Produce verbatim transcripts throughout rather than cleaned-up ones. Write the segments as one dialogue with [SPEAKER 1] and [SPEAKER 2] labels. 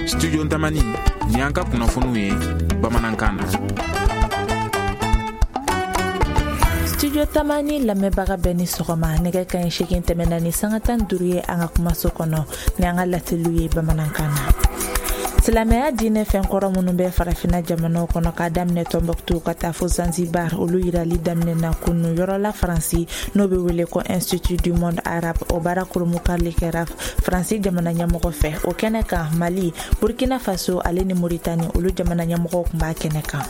[SPEAKER 1] Studio Tamani ni an ka kunnafoniw ye bamanankan na.
[SPEAKER 2] Studio Tamani lamɛnbaga bɛɛ ni sɔgɔma, nɛgɛ kanɲɛ seegin tɛmɛna ni sanga tan duuru ye an ka kumaso kɔnɔ ni an ka laseliw ye bamanankan na. Silamɛya diinɛ fɛnkɔrɔ minnu bɛ farafinna jamanaw kɔnɔ k'a daminɛ Tɔnbɔkutu ka taa fo Zanzibar, olu yirali daminɛna kunu yɔrɔ la Faransi n'o bɛ wele ko Institut du Monde Arabe. O baara kurunbonkarili kɛra Faransi jamana ɲɛmɔgɔ fɛ. O kɛnɛ kan, Mali, Burkina Faso ale ni Moritani, olu jamana ɲɛmɔgɔw tun b'a kɛnɛ kan.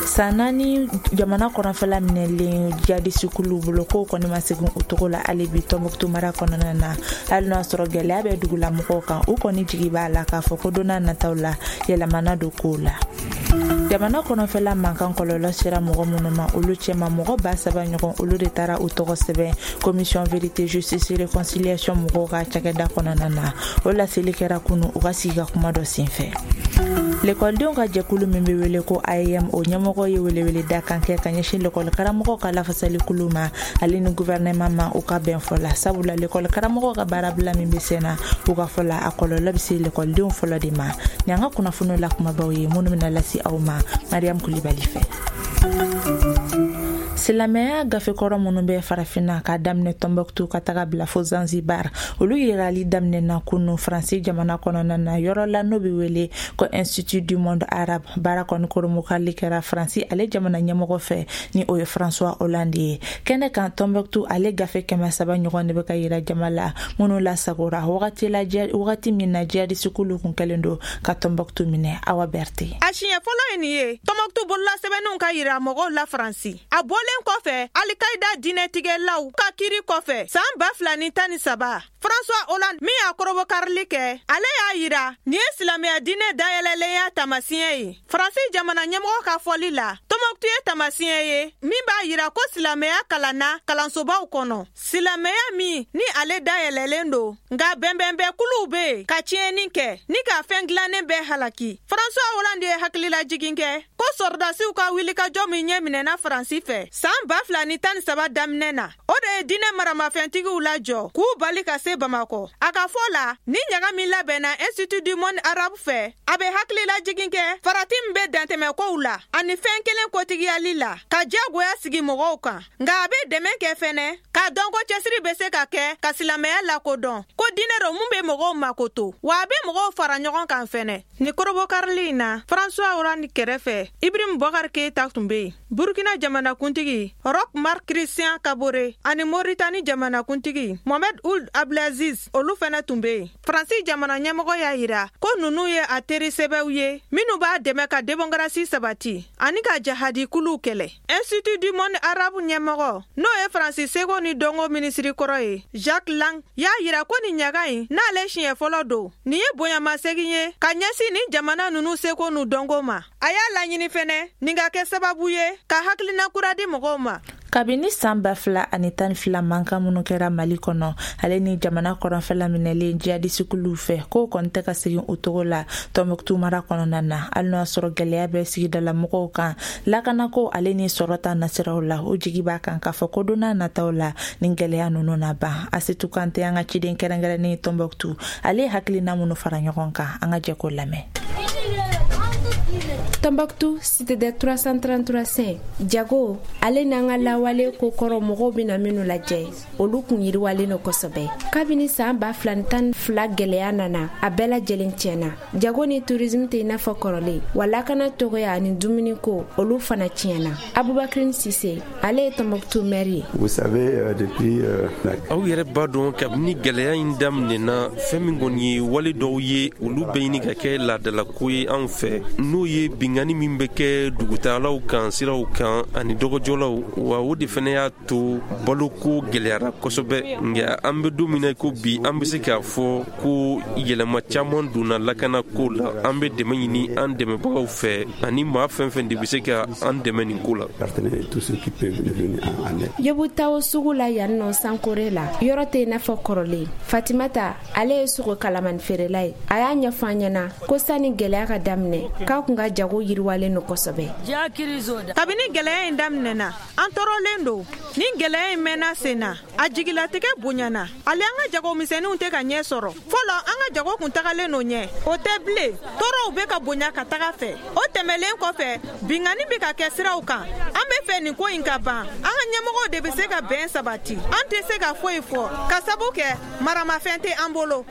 [SPEAKER 2] San naani jamana kɔrɔnfɛla minɛlen jihadisikuluw bolo, kow kɔni ma segin o cogo la hali bi Tɔnbɔkutu mara kɔnɔna na. Hali n'o y'a sɔrɔ gɛlɛya bɛ dugulamɔgɔw kan, u kɔni jigi b'a la k'a fɔ ko don n'a nataw la yɛlɛmana don kow la. Jamana kɔnɔfɛla mankan kɔlɔlɔ sera mɔgɔ minnu ma, olu cɛma mɔgɔ ba saba ɲɔgɔn, olu de taara u tɔgɔ sɛbɛn Commission vérité justice réconciliation mɔgɔw ka cakɛda kɔnɔna na. O laseli kɛra kunu u ka sigi ka kuma dɔ senfɛ. Lekɔlidenw ka jɛkulu min bɛ wele ko A E M, o ɲɛmɔgɔ ye weleweleda kan kɛ ka ɲɛsin lekɔli karamɔgɔw ka lafasalikulu ma ale ni gouvernement ma u ka bɛn fɔ la, sabula lekɔli karamɔgɔw ka baarabila min bɛ sen na, u ka fɔ la, a kɔlɔlɔ bɛ se lekɔlidenw fɔlɔ de ma. Ni an ka kunnafoniw la kumabaw ye minnu bɛna lase aw ma Mariam Kulibali fɛ. Silamɛya gafekɔrɔ minnu bɛ farafinna k'a daminɛ Tɔnbɔkutu ka taga bila fo Zanzibar, olu yirali daminɛna kunu Faransi jamana kɔnɔna na yɔrɔ la n'o bɛ wele ko Institut du Monde Arabe. Baara kɔni kurunbonkarili kɛra Faransi ale jamana ɲɛmɔgɔ fɛ ni o ye François Hollande ye. Kɛnɛ kan, Tɔnbɔkutu ale gafe kɛmɛ saba ɲɔgɔn de bɛ ka yira jama la minnu lasagora wagati la wagati min na jihadisikulu kun kɛlen don ka Tɔnbɔkutu minɛ. Awa Berthe.
[SPEAKER 3] A siɲɛ fɔlɔ ye nin ye Tɔnbɔkutu bololasɛbɛnninw ka yira mɔgɔw la Faransi. A bɔlen kɔfɛ Alikayida diinɛtigɛlaw ka kiri kɔfɛ san ba fila ni tan ni saba, François Hollande min y'a kɔrɔbɔkarili kɛ, ale y'a yira nin ye silamɛya diinɛ dayɛlɛlenya taamasiyɛn ye. Faransi jamana ɲɛmɔgɔ ka fɔli la, Tɔnbɔkutu ye taamasiyɛn ye min b'a yira ko silamɛya kalanna kalansobaw kɔnɔ, silamɛya min ni ale dayɛlɛlen don, nka bɛnbɛnbɛnkuluw bɛ yen ka tiɲɛni kɛ ni ka fɛn dilannen bɛɛ halaki. François Hollande ye hakililajigin kɛ ko sɔrɔdasiw ka wulikajɔ min ɲɛ minɛna Faransi fɛ san ba fila ni tan ni saba daminɛ na, o de ye diinɛ maramafɛntigiw lajɔ k'u bali ka se Bamakɔ. A ka fɔ la, ni ɲaga min labɛnna Institut du Monde Arabe fɛ, a bɛ hakililajigin kɛ farati min bɛ dantɛmɛkow la ani fɛn kelen kotigiyali la ka diyagoya sigi mɔgɔw kan, nka a bɛ dɛmɛ kɛ fɛnɛ k'a dɔn ko cɛsiri bɛ se ka kɛ ka silamɛya lakodɔn ko diinɛ dɔ mun bɛ mɔgɔw makoto, wa a bɛ mɔgɔw fara ɲɔgɔn kan fɛnɛ. Ni kɔrɔbɔkarili in na, François Hollande kɛrɛfɛ, Ibrahim Boubacar Keïta tun bɛ yen, Burkina jamanakuntigi Roch Marc Christian Kabore ani Moritani jamanakuntigi Mohamed Ould Abdelaziz, olu fɛnɛ tun bɛ yen. Faransi jamana ɲɛmɔgɔ y'a yira ko ninnu ye a teri sɛbɛw ye minnu b'a dɛmɛ ka démocratie sabati ani ka jahadi kuluw kɛlɛ. Institut du Monde Arabe ɲɛmɔgɔ, n'o ye Faransi seko ni dɔnko minisiri kɔrɔ ye, Jacques Lang, y'a yira ko nin ɲaga in n'ale siɲɛ fɔlɔ don, nin ye bonyamasegin ye ka ɲɛsin nin jamana ninnu seko n'u dɔnko ma. A y'a laɲini fɛnɛ nin ka kɛ sababu ye ka hakilina kura di mɔgɔw ma.
[SPEAKER 2] Kabini san ba fila ani tan ni fila mankan minnu kɛra Mali kɔnɔ ale ni jamana kɔrɔnfɛla minɛlen jihadisikuluw fɛ, k'o kɔni tɛ ka segin o cogo la Tɔnbɔkutu mara kɔnɔna na. Hali n'o y'a sɔrɔ gɛlɛya bɛ sigidala mɔgɔw kan lakanako ale ni sɔrɔ ta nasiraw la, o jigi b'a kan k'a fɔ ko don n'a nataw la ni gɛlɛya ninnu na ban. Asetu Kante, an ka ciden kɛrɛnkɛrɛnnen Tɔnbɔkutu, ale ye hakilina minnu fara ɲɔgɔn kan, an ka jɛ k'o lamɛn.
[SPEAKER 4] Tombouctou, cité des trois cent trente-trois saints, jago ale n'an ka lawale ko kɔrɔ mɔgɔw bɛna minnu lajɛ, olu kun yiriwalen no kosɛbɛ. Kabini saan ba fila ni tan fila gɛlɛya nana, a bɛɛ lajɛlen tiɲɛna. Jago ni tourisme tɛ i n'a fɔ kɔrɔlen wa, lakana tɔgɔya ani dumuniko, olu fana tiɲɛna. Abubakrin Sise, ale ye Tombouctou maire ye.
[SPEAKER 5] Vous savez, euh, depuis euh,
[SPEAKER 6] Aw yɛrɛ b'a dɔn, kabini gɛlɛya in daminɛna, fɛn min kɔni ye wale dɔw ye, olu bɛ ɲini ka kɛ laadalako ye anw fɛ, n'o ye bingani min bɛ kɛ dugutagalaw kan siraw kan ani dɔgɔjɔlaw wa. O de fɛnɛ y'a to baloko gɛlɛyara kosɛbɛ. Nka an bɛ don min na ko bi, an bɛ se k'a fɔ ko yɛlɛma caman donna lakanako la. An bɛ dɛmɛ ɲini an dɛmɛbagaw fɛ ani maa fɛn fɛn de bɛ se ka an dɛmɛ nin ko la.
[SPEAKER 4] Yebutawo sugu la yan nɔ Sankore la, yɔrɔ tɛ i n'a fɔ kɔrɔlen. Fatimata, ale ye sogo kalamani feerela ye. A y'a ɲɛfɔ an ɲɛna ko sani gɛlɛya ka daminɛ, k'a kun ka jago yiriwalen don kosɛbɛ.
[SPEAKER 3] Kabini gɛlɛya in daminɛna, an tɔɔrɔlen don. Ni gɛlɛya in mɛnna sen na, a jigilatigɛ bonyana. Hali an ka jagomisɛnninw tɛ ka ɲɛ sɔrɔ. Fɔlɔ an ka jago kun tagalen don ɲɛ, o tɛ bilen. Tɔɔrɔw bɛ ka bonya ka taga fɛ. O tɛmɛlen kɔfɛ, binkanni bɛ ka kɛ siraw kan. An bɛ fɛ nin ko in ka ban. An ka ɲɛmɔgɔw de bɛ se ka bɛn sabati. An tɛ se ka foyi fɔ ka sabu kɛ maramafɛn tɛ an bolo.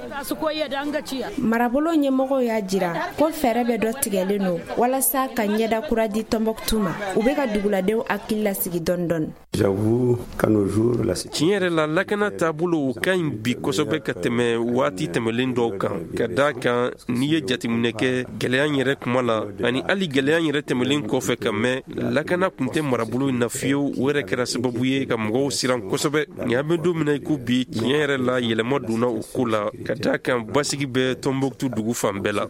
[SPEAKER 4] Marabolo ɲɛmɔgɔw y'a jira ko fɛɛrɛ bɛ dɔ tigɛlen don walasa ka ɲɛda kura di Tɔnbɔkutu ma. U bɛ ka duguladenw hakili lasigi dɔɔni dɔɔni.
[SPEAKER 6] Tiɲɛ yɛrɛ la, lakana taabolo o ka ɲi bi kosɛbɛ ka tɛmɛ waati tɛmɛlen dɔw kan, ka da kan n'i ye jateminɛ kɛ gɛlɛya yɛrɛ kuma la, ani hali gɛlɛya yɛrɛ tɛmɛlen kɔfɛ ka mɛn, lakana tun tɛ marabolo in na fiyewu. O yɛrɛ kɛra sababu ye ka mɔgɔw siran kosɛbɛ. Nka an bɛ don min na i ko bi, tiɲɛ yɛrɛ la, yɛlɛma donna o ko la, ka da kan basigi bɛ Tɔnbɔkutu dugu fan bɛɛ la.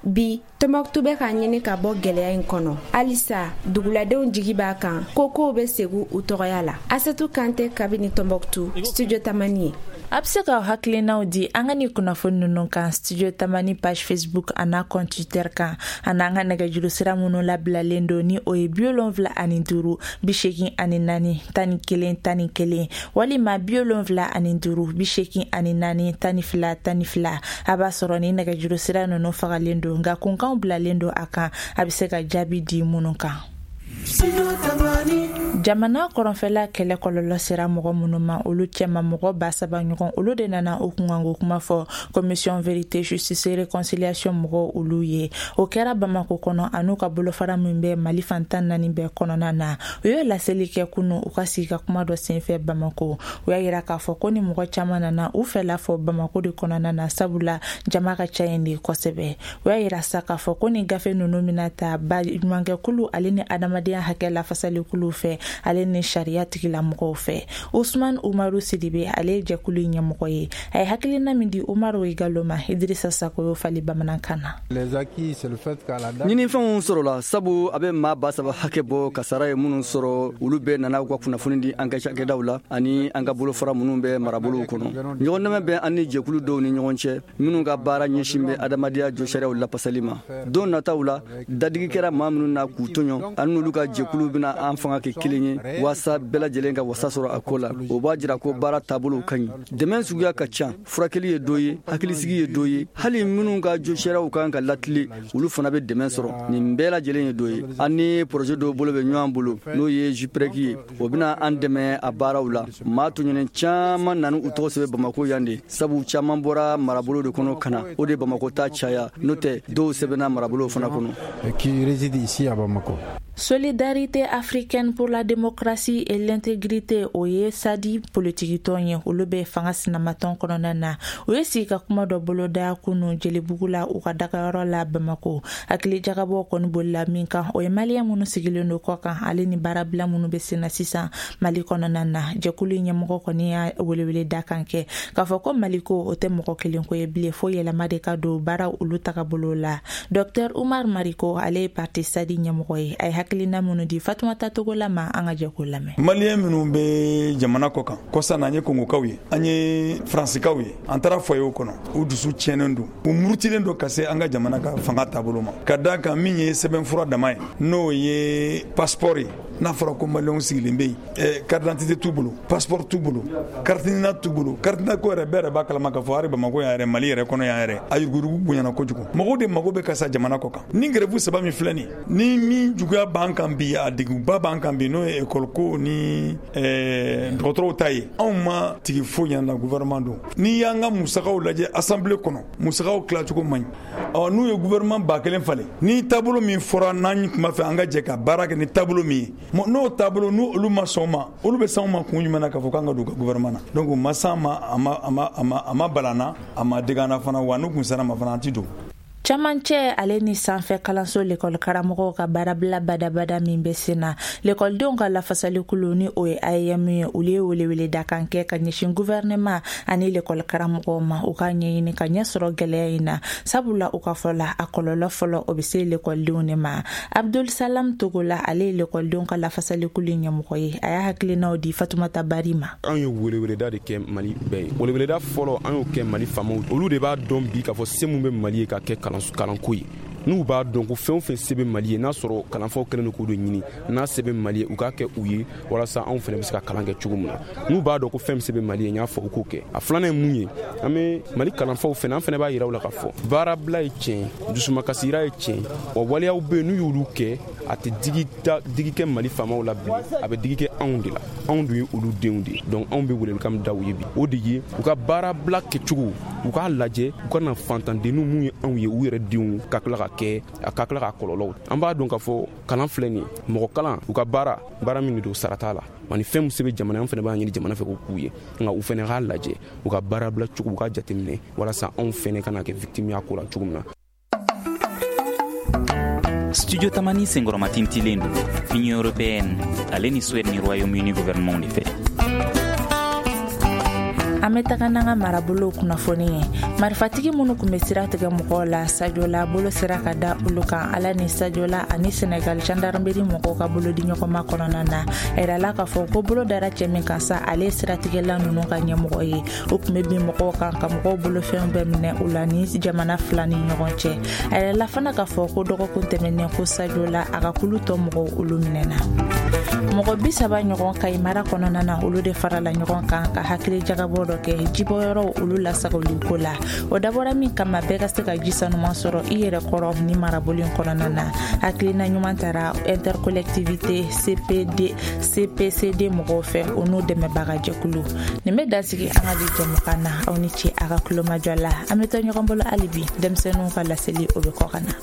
[SPEAKER 4] Bi Tɔnbɔkutu bɛ k'a ɲini ka bɔ gɛlɛya in kɔnɔ. Halisa duguladenw jigi b'a kan ko kow bɛ segin u tɔgɔya la. Asetu Kante kabini Tɔnbɔkutu, Studio Tamani ye.
[SPEAKER 2] A bɛ se ka hakilinaw di an ka nin kunnafoni ninnu kan Studio Tamani page Facebook a n'a compte Twitter kan, a n'an ka nɛgɛjuru sira minnu labilalen don, ni o ye bi wolonwula ani duuru bi seegin ani naani tan ni kelen tan ni kelen walima bi wolonwula ani duuru bi seegin ani naani tan ni fila tan ni fila. A b'a sɔrɔ ni nɛgɛjuru sira ninnu fagalen don, nka kunkanw bilalen don a kan, a bɛ se ka jaabi di minnu kan. Jamana kɔrɔnfɛla kɛlɛ kɔlɔlɔ sera mɔgɔ minnu ma, olu cɛma mɔgɔ ba saba ɲɔgɔn, olu de nana o kunkanko kuma fɔ commission vérité justice et réconciliation mɔgɔw olu ye. O kɛra Bamako kɔnɔ, an'u ka bolofara min bɛ Mali fan tan naani bɛɛ kɔnɔna na. U ye laseli kɛ kunu u ka sigi ka kuma dɔ senfɛ Bamako. U y'a yira k'a fɔ ko ni mɔgɔ caman nana u fɛla fɔ Bamako de kɔnɔna na, sabula jama ka ca yen de kosɛbɛ. U y'a yira sa k'a fɔ ko ni gafe ninnu bɛna ta baɲumankɛkulu ale ni adamadenya hakɛ lafasalikulu fɛ, ale ni sariya tigilamɔgɔw fɛ. Usman Umaru Sidibe, ale ye jɛkulu ɲɛmɔgɔ ye. A ye hakilina min di Umaru Igalo ma, Idrissa Sako y'o fali bamanankan na.
[SPEAKER 7] Ɲinifɛnw sɔrɔla sabu a bɛ maa ba saba hakɛ bɔ kasara ye minnu sɔrɔ, olu bɛɛ nana u ka kunnafoni di an ka cakɛdaw la ani an ka bolofara minnu bɛ marabolow kɔnɔ. Ɲɔgɔndɛmɛ bɛ an ni jɛkulu dɔw ni ɲɔgɔn cɛ minnu ka baara ɲɛsin bɛ adamadenya jɔsariyaw lapasali ma. Don nataw la, dadigi kɛra maa minnu na k'u tɔɲɔ, an n'olu ka jɛkulu bɛna an fanga kɛ kelen ye waasa bɛɛ lajɛlen ka wasa sɔrɔ a ko la. O b'a jira ko baara taabolow ka ɲi. Dɛmɛ suguya ka ca, furakɛli ye dɔ ye, hakilisigi ye dɔ ye, hali minnu ka josariyaw kan ka latile, olu fana bɛ dɛmɛ sɔrɔ. Nin bɛɛ lajɛlen ye dɔ ye. An ni projet dɔw bolo bɛ ɲɔgɔn bolo, n'o ye JUPREC ye, o bɛna an dɛmɛ a baaraw la. Maa tɔɲɔnen caman nana u tɔgɔ sɛbɛn Bamako yan de, sabu caman bɔra marabolo de kɔnɔ ka na, o de Bamako ta caya, n'o tɛ dɔw sɛbɛnna marabolo fana kɔnɔ.
[SPEAKER 8] Qui réside ici à Bamako.
[SPEAKER 2] Solidarité africaine pour la démocratie et l'intégrité, o ye SADI politikitɔn ye, olu bɛ fanga sinamatɔn kɔnɔna na. U ye sigi ka kuma dɔ boloda kunu Jelibugu la, u ka dagayɔrɔ la Bamako. Hakili jagabɔ kɔni bolila min kan, o ye maliyɛn minnu sigilen don kɔ kan, ale ni baarabila minnu bɛ sen na sisan Mali kɔnɔna na. Jɛkulu ɲɛmɔgɔ kɔni y'a welewele da kan kɛ k'a fɔ ko Mali ko o tɛ mɔgɔ kelen ko ye bilen, fo yɛlɛma de ka don baara olu tagabolo la. Docteur Umar Mariko, ale ye parti SADI ɲɛmɔgɔ ye, a ye hakilina minnu di Fatumata Togola ma, an ka jɛ k'o lamɛn.
[SPEAKER 9] Maliyɛn minnu bɛ jamana kɔ kan, kɔsa na an ye Kongokaw ye, an ye Faransikaw ye, an taara foyer kɔnɔ, u dusu tiɲɛnen don, u murutilen don ka se an ka jamana ka fanga taabolo ma. Ka d'a kan min ye sɛbɛnfura dama ye, n'o ye passeport ye, n'a fɔra ko maliyɛnw sigilen bɛ yen, carte d'identité t'u bolo, passeport t'u bolo, carte NINA t'u bolo. Carte NINA ko yɛrɛ, bɛɛ yɛrɛ b'a kalama k'a fɔ hali Bamakɔ yan yɛrɛ, Mali yɛrɛ kɔnɔ yan yɛrɛ, a yuruguyurugu bonyana kojugu. Mɔgɔw de mago bɛ ka sa jamana kɔ kan. Ni grève saba min filɛ nin, ni min juguya b'an kan bi, a degunba b'an kan bi, n'o ye école ko ni dɔgɔtɔrɔw ta ye, anw ma tigi foyi ɲɛna gouvernement don. N'i y'an ka musakaw lajɛ assemblée kɔnɔ, musakaw tilacogo man ɲi. Ɔ n'u ye gouvernement ba kelen falen, ni taabolo min fɔra n'an tun b'a fɛ an ka jɛ ka baara kɛ ni taabolo min ye, n'o taabolo n'u olu ma sɔn ma, olu bɛ s'anw ma kun jumɛn na k'a fɔ k'an ka don u ka gouvernement na? Donc u ma s'an ma, a ma a ma a ma a ma bala an na, a ma dege an na fana, wa n'u kun sera ma fana, an ti don.
[SPEAKER 2] Camancɛ ale ni sanfɛ kalanso lekɔli karamɔgɔw ka baarabila badabada min bɛ sen na, lekɔlidenw ka lafasalikulu ni o ye A E M ye, olu ye welewele dakan kɛ ka ɲɛsin gouvernement ani lekɔli karamɔgɔw ma, u ka ɲɛɲini ka ɲɛ sɔrɔ gɛlɛya in na, sabula u ka fɔ la, a kɔlɔlɔ fɔlɔ o bɛ se lekɔlidenw de ma. Abdul Salam Togola, ale ye lekɔlidenw ka lafasalikulu ɲɛmɔgɔ ye, a y'a hakilinaw di Fatumata Bari ma.
[SPEAKER 10] Anw ye weleweleda de kɛ Mali bɛɛ ye. Weleweleda fɔlɔ an y'o kɛ Mali faamaw, olu de b'a dɔn bi k'a fɔ se mun bɛ Mali ye ka kɛ kalanko ye. N'u b'a dɔn ko fɛn o fɛn se bɛ Mali ye, n'a sɔrɔ kalanfaw kɛlen don k'o de ɲini, n'a se bɛ Mali ye, u k'a kɛ u ye walasa anw fana bɛ se ka kalan kɛ cogo min na. N'u b'a dɔn ko fɛn min se bɛ Mali ye, n y'a fɔ u k'o kɛ. A filanan ye mun ye, an bɛ Mali kalanfaw fana, an fana b'a yira u la k'a fɔ baarabila ye tiɲɛ, dusumakasira ye tiɲɛ, wa waleyaw bɛ yen n'u y'olu kɛ, a tɛ digi da digi kɛ Mali faamaw la bilen, a bɛ digi kɛ anw de la. Anw dun ye olu denw de ye. Donc anw bɛ welelikan min da u ye bi, o de ye u ka baarabila kɛcogo, u k'a lajɛ, u ka na fantandenninw mun ye anw ye, u yɛrɛ denw ka tila ka kɛ, a ka tila ka kɔlɔlɔw. An b'a dɔn k'a fɔ kalan filɛ nin ye, mɔgɔ kalan, u ka baara, baara min de don, sara t'a la. Wa ni fɛn min se bɛ jamana, an fana b'a ɲini jamana fɛ k'o k'u ye. Nka u fana k'a lajɛ, u ka baarabila cogo, u k'a jateminɛ walasa anw fana kana kɛ victime y'a ko la cogo min na.
[SPEAKER 8] Studio Tamani senkɔrɔmatintilen don Union européenne ale ni Suède ni Royaume-Uni gouvernement de fɛ.
[SPEAKER 2] An bɛ taga n'an ka marabolow kunnafoni ye. Marifatigi minnu tun bɛ sira tigɛ mɔgɔw la Sadiola, bolo sera ka da olu kan. Ala ni Sadiola ani Senegal gendarmerie mɔgɔw ka bolo di ɲɔgɔnma kɔnɔna na. A yirala k'a fɔ ko bolo dara cɛ min kan sa, ale ye siratigɛla ninnu ka ɲɛmɔgɔ ye. O tun bɛ bin mɔgɔw kan ka mɔgɔw bolofɛnw bɛɛ minɛ u la ni jamana fila ni ɲɔgɔn cɛ. A yirala fana k'a fɔ ko dɔgɔkun tɛmɛnen ko Sadiola a ka kulu tɔ mɔgɔw olu minɛna. Mɔgɔ bi saba ɲɔgɔn Kayi mara kɔnɔna na, olu de farala ɲɔgɔn kan ka hakili jagabɔ dɔ kɛ jibɔyɔrɔw olu lasagoli ko la. O dabɔra min kama, bɛɛ ka se ka ji sanuman sɔrɔ i yɛrɛ kɔrɔ ni marabolo in kɔnɔna na. Hakilina ɲuman tara intercollectivité C P D C P C D mɔgɔw fɛ, o n'u dɛmɛbaga jɛkulu. Nin bɛ dansigi an ka bi jɛmukan na. Aw ni ce a ka kulomajɔ la. An bɛ to ɲɔgɔn bolo hali bi, denmisɛnninw ka laseli o bɛ kɔ ka na.